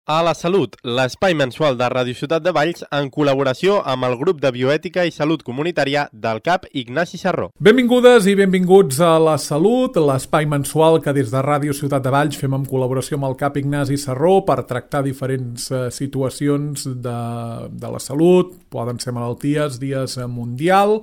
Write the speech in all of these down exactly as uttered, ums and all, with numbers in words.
A la Salut, l'espai mensual de Ràdio Ciutat de Valls en col·laboració amb el grup de bioètica i salut comunitària del C A P Ignasi Sarró. Benvingudes i benvinguts a La Salut, l'espai mensual que des de Ràdio Ciutat de Valls fem en col·laboració amb el C A P Ignasi Sarró per tractar diferents eh, situacions de, de la salut, poden ser malalties, dies mundial.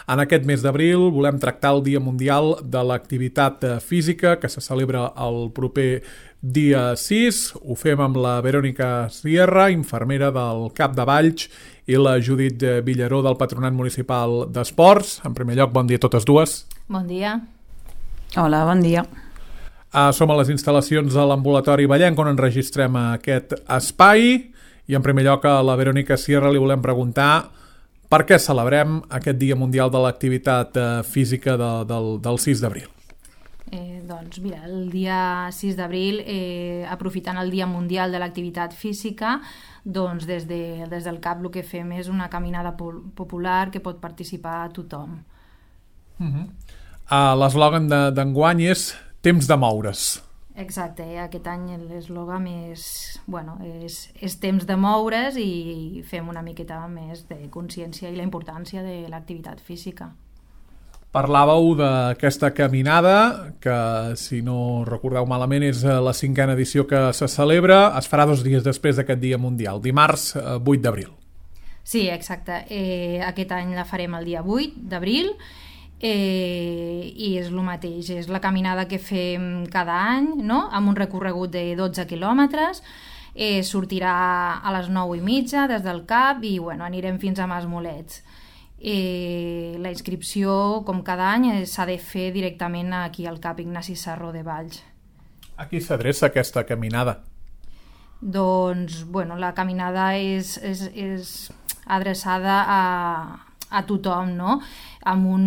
En aquest mes d'abril volem tractar el Dia Mundial de l'Activitat Física, que se celebra el proper dia sis. Ho fem amb la Verònica Sierra, infermera del C A P de Valls, i la Judit Villaró del Patronat Municipal d'Esports. En primer lloc, bon dia a totes dues. Bon dia. Hola, bon dia. Uh, som a les instal·lacions de l'ambulatori Vallenc on enregistrem aquest espai i en primer lloc a la Verònica Sierra li volem preguntar per què celebrem aquest Dia Mundial de l'Activitat Física de, del, del sis d'abril. Eh, doncs mira, el dia sis d'abril, eh, aprofitant el Dia Mundial de l'Activitat Física, doncs des, de, des del C A P el que fem és una caminada popular que pot participar tothom. Uh-huh. uh, L'eslògan d'enguany és Temps de moure's. Exacte, eh? Aquest any l'eslògan és, bueno, és, és temps de moure's i fem una miqueta més de consciència i la importància de l'activitat física. Parlàveu d'aquesta caminada, que si no recordeu malament és la cinquena edició que se celebra, es farà dos dies després d'aquest Dia Mundial, dimarts vuit d'abril. Sí, exacte. Eh, aquest any la farem el dia vuit d'abril, Eh, i és el mateix, és la caminada que fem cada any, no? Amb un recorregut de dotze quilòmetres, eh, sortirà a les nou i mitja des del C A P i bueno, anirem fins a Masmolets. Eh, la inscripció, com cada any, s'ha de fer directament aquí al C A P Ignasi Sarró de Valls. A qui s'adreça aquesta caminada? Doncs, bueno, la caminada és, és, és adreçada a a tothom, no? Amb un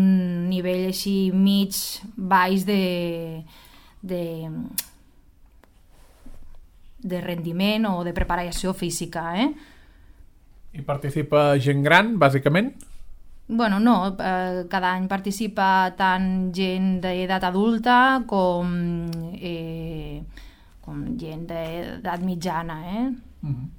nivell així mig, baix de, de, de rendiment o de preparació física, eh? I participa gent gran, bàsicament? Bueno, no, eh, cada any participa tant gent d'edat adulta com, eh, com gent d'edat mitjana, eh? Uh-huh.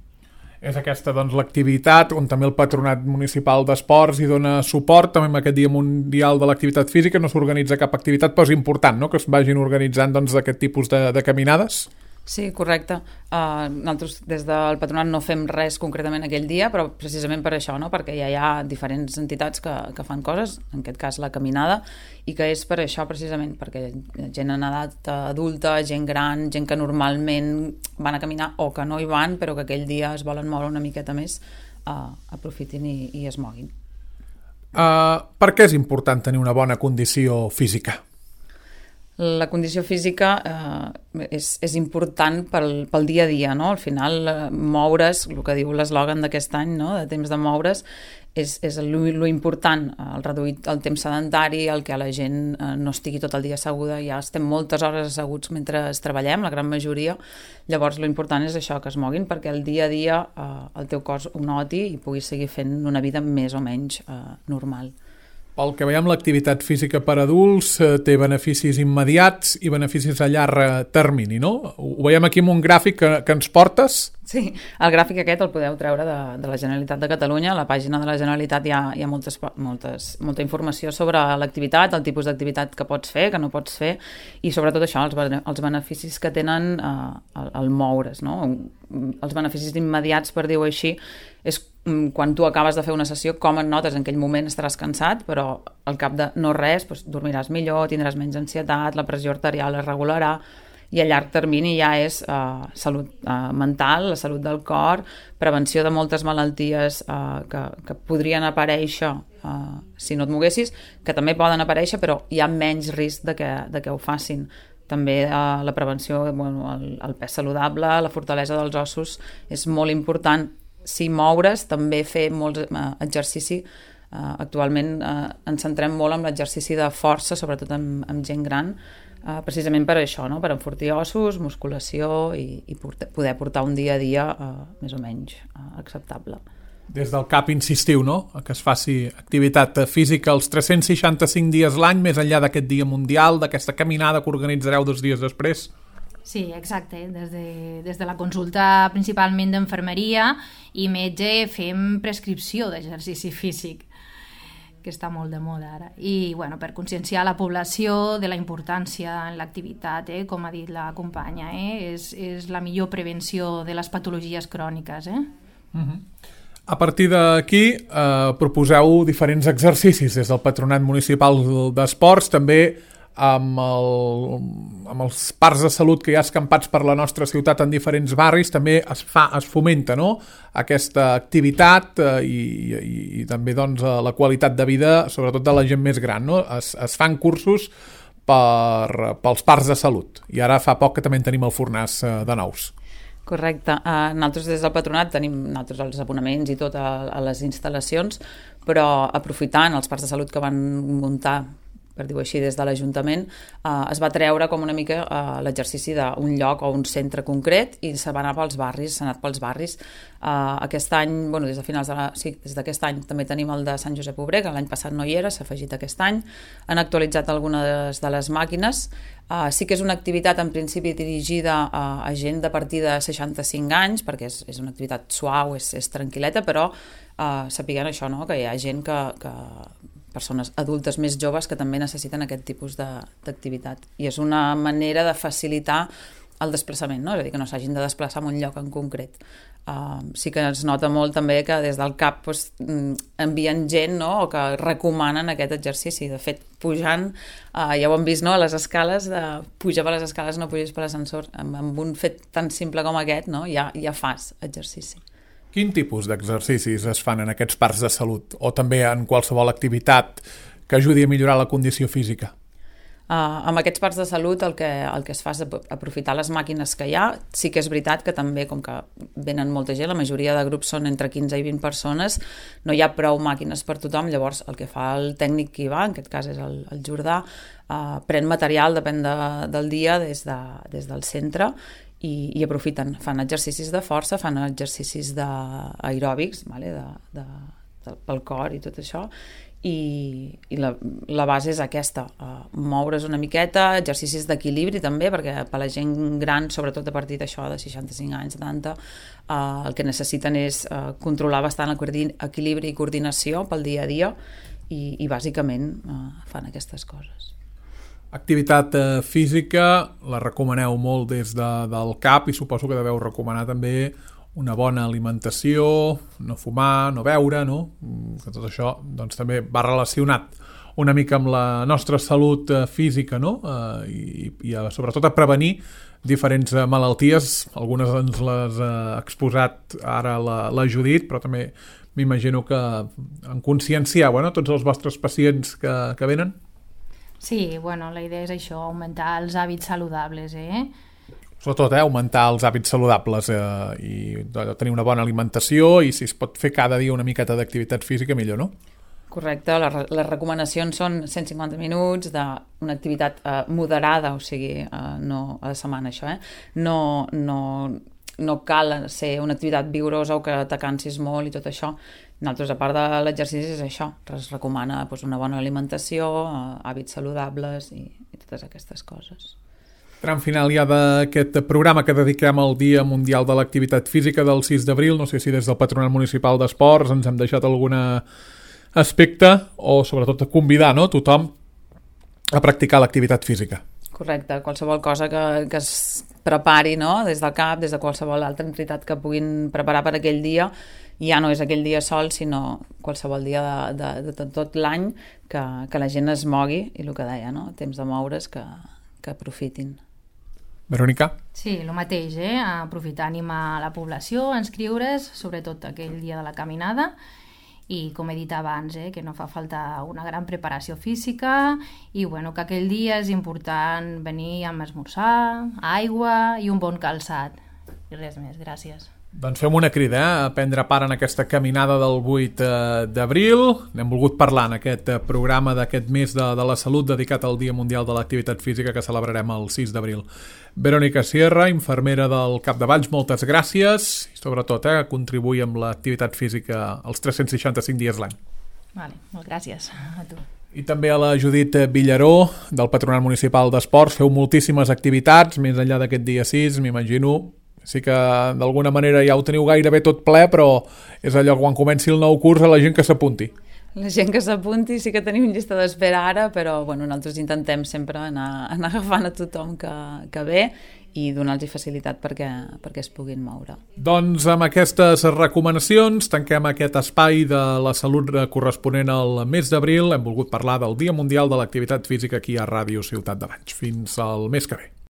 És aquesta, doncs, l'activitat on també el Patronat Municipal d'Esports hi dona suport, també amb aquest Dia Mundial de l'Activitat Física no s'organitza cap activitat, però és important, no?, que es vagin organitzant, doncs, aquest tipus de, de caminades. Sí, correcte. Uh, nosaltres des del Patronat no fem res concretament aquell dia, però precisament per això, no?, perquè ja hi ha diferents entitats que, que fan coses, en aquest cas la caminada, i que és per això precisament, perquè gent en edat adulta, gent gran, gent que normalment van a caminar o que no hi van, però que aquell dia es volen moure una miqueta més, uh, aprofitin i, i es moguin. Uh, per què és important tenir una bona condició física? La condició física eh, és, és important pel, pel dia a dia, no? Al final, eh, moure's, el que diu l'eslògan d'aquest any, no?, de temps de moure's, és, és lo, lo important, el reduir el temps sedentari, el que la gent eh, no estigui tot el dia asseguda, ja estem moltes hores asseguts mentre treballem, la gran majoria, llavors lo important és això, que es moguin, perquè el dia a dia eh, el teu cos ho noti i puguis seguir fent una vida més o menys eh, normal. Pel que veiem, l'activitat física per adults eh, té beneficis immediats i beneficis a llarg termini, no? Ho veiem aquí en un gràfic que, que ens portes. Sí, el gràfic aquest el podeu treure de, de la Generalitat de Catalunya. A la pàgina de la Generalitat hi ha, hi ha moltes, moltes, molta informació sobre l'activitat, el tipus d'activitat que pots fer, que no pots fer, i sobretot això, els, els beneficis que tenen eh, el, el moure's, no? Els beneficis immediats, per dir-ho així, és quan tu acabes de fer una sessió, com et notes, en aquell moment estaràs cansat, però al cap de no res, doncs, dormiràs millor, tindràs menys ansietat, la pressió arterial es regularà, i a llarg termini ja és eh, salut eh, mental, la salut del cor, prevenció de moltes malalties eh, que, que podrien aparèixer eh, si no et moguessis, que també poden aparèixer, però hi ha menys risc de que, de que ho facin. També eh, la prevenció, bueno, el, el pes saludable, la fortalesa dels ossos és molt important. Si moure's, també fer molts eh, exercici. Eh, actualment eh, ens centrem molt en l'exercici de força, sobretot amb, amb gent gran, eh, precisament per això, no? Per enfortir ossos, musculació i, i portar, poder portar un dia a dia eh, més o menys eh, acceptable. Des del C A P insistiu, no?, que es faci activitat física els tres-cents seixanta-cinc dies l'any, més enllà d'aquest Dia Mundial, d'aquesta caminada que organitzareu dos dies després. Sí, exacte. Des de, des de la consulta principalment d'infermeria i metge fem prescripció d'exercici físic, que està molt de moda ara. I bueno, per conscienciar la població de la importància en l'activitat, eh? Com ha dit la companya, eh? és, és la millor prevenció de les patologies cròniques. Eh? Uh-huh. A partir d'aquí eh, proposeu diferents exercicis des del Patronat Municipal d'Esports, també amb, el, amb els parcs de salut que hi ha escampats per la nostra ciutat en diferents barris, també es fa, es fomenta, no?, aquesta activitat eh, i, i, i també doncs, la qualitat de vida, sobretot de la gent més gran, no? Es, es fan cursos per, pels parcs de salut, i ara fa poc que també en tenim el Fornàs eh, de nous. Correcte. Uh, nosaltres des del Patronat tenim nosaltres els abonaments i tot a, a les instal·lacions, però aprofitant els parcs de salut que van muntar, per dir-ho així, des de l'Ajuntament, eh, es va treure com una mica eh, l'exercici d'un lloc o un centre concret i se va anar pels barris, s'ha anat pels barris. Eh, aquest any, bueno, des de finals de la, sí, des d'aquest any també tenim el de Sant Josep Obrer, que l'any passat no hi era, s'ha afegit aquest any. Han actualitzat algunes de les màquines. Eh, sí que és una activitat en principi dirigida a, a gent de partir de seixanta-cinc anys, perquè és, és una activitat suau, és, és tranquil·leta, però eh, sapiguem això, no?, que hi ha gent que... que persones adultes més joves que també necessiten aquest tipus d'activitat. I és una manera de facilitar el desplaçament, no? És a dir, que no s'hagin de desplaçar en un lloc en concret. Uh, sí que es nota molt també que des del C A P pues, envien gent, no?, o que recomanen aquest exercici. De fet, pujant, uh, ja ho hem vist, no?, a les escales, de pujar per les escales, no puges per l'ascensor. Amb, amb un fet tan simple com aquest, no?, ja, ja fas exercici. Quin tipus d'exercicis es fan en aquests parcs de salut o també en qualsevol activitat que ajudi a millorar la condició física? Uh, amb aquests parcs de salut el que, el que es fa és aprofitar les màquines que hi ha. Sí que és veritat que també, com que venen molta gent, la majoria de grups són entre quinze i vint persones, no hi ha prou màquines per tothom, llavors el que fa el tècnic que hi va, en aquest cas és el, el Jordà, uh, pren material, depèn de, del dia, des, de, des del centre, i, i aprofiten, fan exercicis de força, fan exercicis d'aeròbics, vale? de, de, de, pel cor i tot això, i, i la, la base és aquesta, uh, moure's una miqueta, exercicis d'equilibri també, perquè per la gent gran, sobretot a partir d'això de seixanta-cinc anys, setanta, uh, el que necessiten és uh, controlar bastant el equilibri i coordinació pel dia a dia, i, i bàsicament uh, fan aquestes coses. Activitat eh, física, la recomaneu molt des de, del C A P i suposo que deveu recomanar també una bona alimentació, no fumar, no beure, no? Que tot això doncs, també va relacionat una mica amb la nostra salut eh, física, no? Eh, i, i a, sobretot a prevenir diferents eh, malalties. Algunes ens les ha eh, exposat ara la, la Judit, però també m'imagino que en conscienciar, bueno, tots els vostres pacients que, que venen. Sí, bueno, la idea és això, augmentar els hàbits saludables, eh? Sobretot, eh, augmentar els hàbits saludables eh, i tenir una bona alimentació i si es pot fer cada dia una miqueta d'activitat física, millor, no? Correcte, les, les recomanacions són cent cinquanta minuts d'una activitat eh, moderada, o sigui, eh, no a la setmana això, eh? No, no, no cal ser una activitat vigorosa o que te cansis molt i tot això. Nosaltres, a part de l'exercici, és això. Es recomana doncs, una bona alimentació, hàbits saludables i, i totes aquestes coses. Tram final ja d'aquest programa que dediquem al Dia Mundial de l'Activitat Física del sis d'abril. No sé si des del Patronat Municipal d'Esports ens hem deixat algun aspecte o sobretot a convidar, no?, tothom a practicar l'activitat física. Correcte, qualsevol cosa que, que es prepari, no?, des del C A P, des de qualsevol altra entitat que puguin preparar per aquell dia, ja no és aquell dia sol, sinó qualsevol dia de, de, de tot, tot l'any que, que la gent es mogui, i el que deia, no?, temps de moure's, que, que aprofitin. Verònica? Sí, el mateix, eh? Aprofitar, animar la població a inscriure's, sobretot aquell dia de la caminada, i com he dit abans, eh, que no fa falta una gran preparació física i bueno, que aquell dia és important venir amb esmorzar, aigua i un bon calçat. I res més, gràcies. Doncs fem una crida eh, a prendre part en aquesta caminada del vuit d'abril. N'hem volgut parlar en aquest programa d'aquest mes de, de la salut dedicat al Dia Mundial de l'Activitat Física que celebrarem el sis d'abril. Verònica Sierra, infermera del Capdevalls, moltes gràcies i sobretot eh, contribuir amb l'activitat física els tres-cents seixanta-cinc dies l'any. Vale, molt gràcies a tu. I també a la Judit Villaró, del Patronat Municipal d'Esports. Feu moltíssimes activitats, més enllà d'aquest dia sis, m'imagino. Sí que d'alguna manera ja ho teniu gairebé tot ple, però és allò quan comenci el nou curs a la gent que s'apunti. La gent que s'apunti sí que tenim llista d'espera ara, però bueno, nosaltres intentem sempre anar, anar agafant a tothom que, que ve i donar-los facilitat perquè, perquè es puguin moure. Doncs amb aquestes recomanacions tanquem aquest espai de la salut corresponent al mes d'abril. Hem volgut parlar del Dia Mundial de l'Activitat Física aquí a Ràdio Ciutat de Valls. Fins al mes que ve.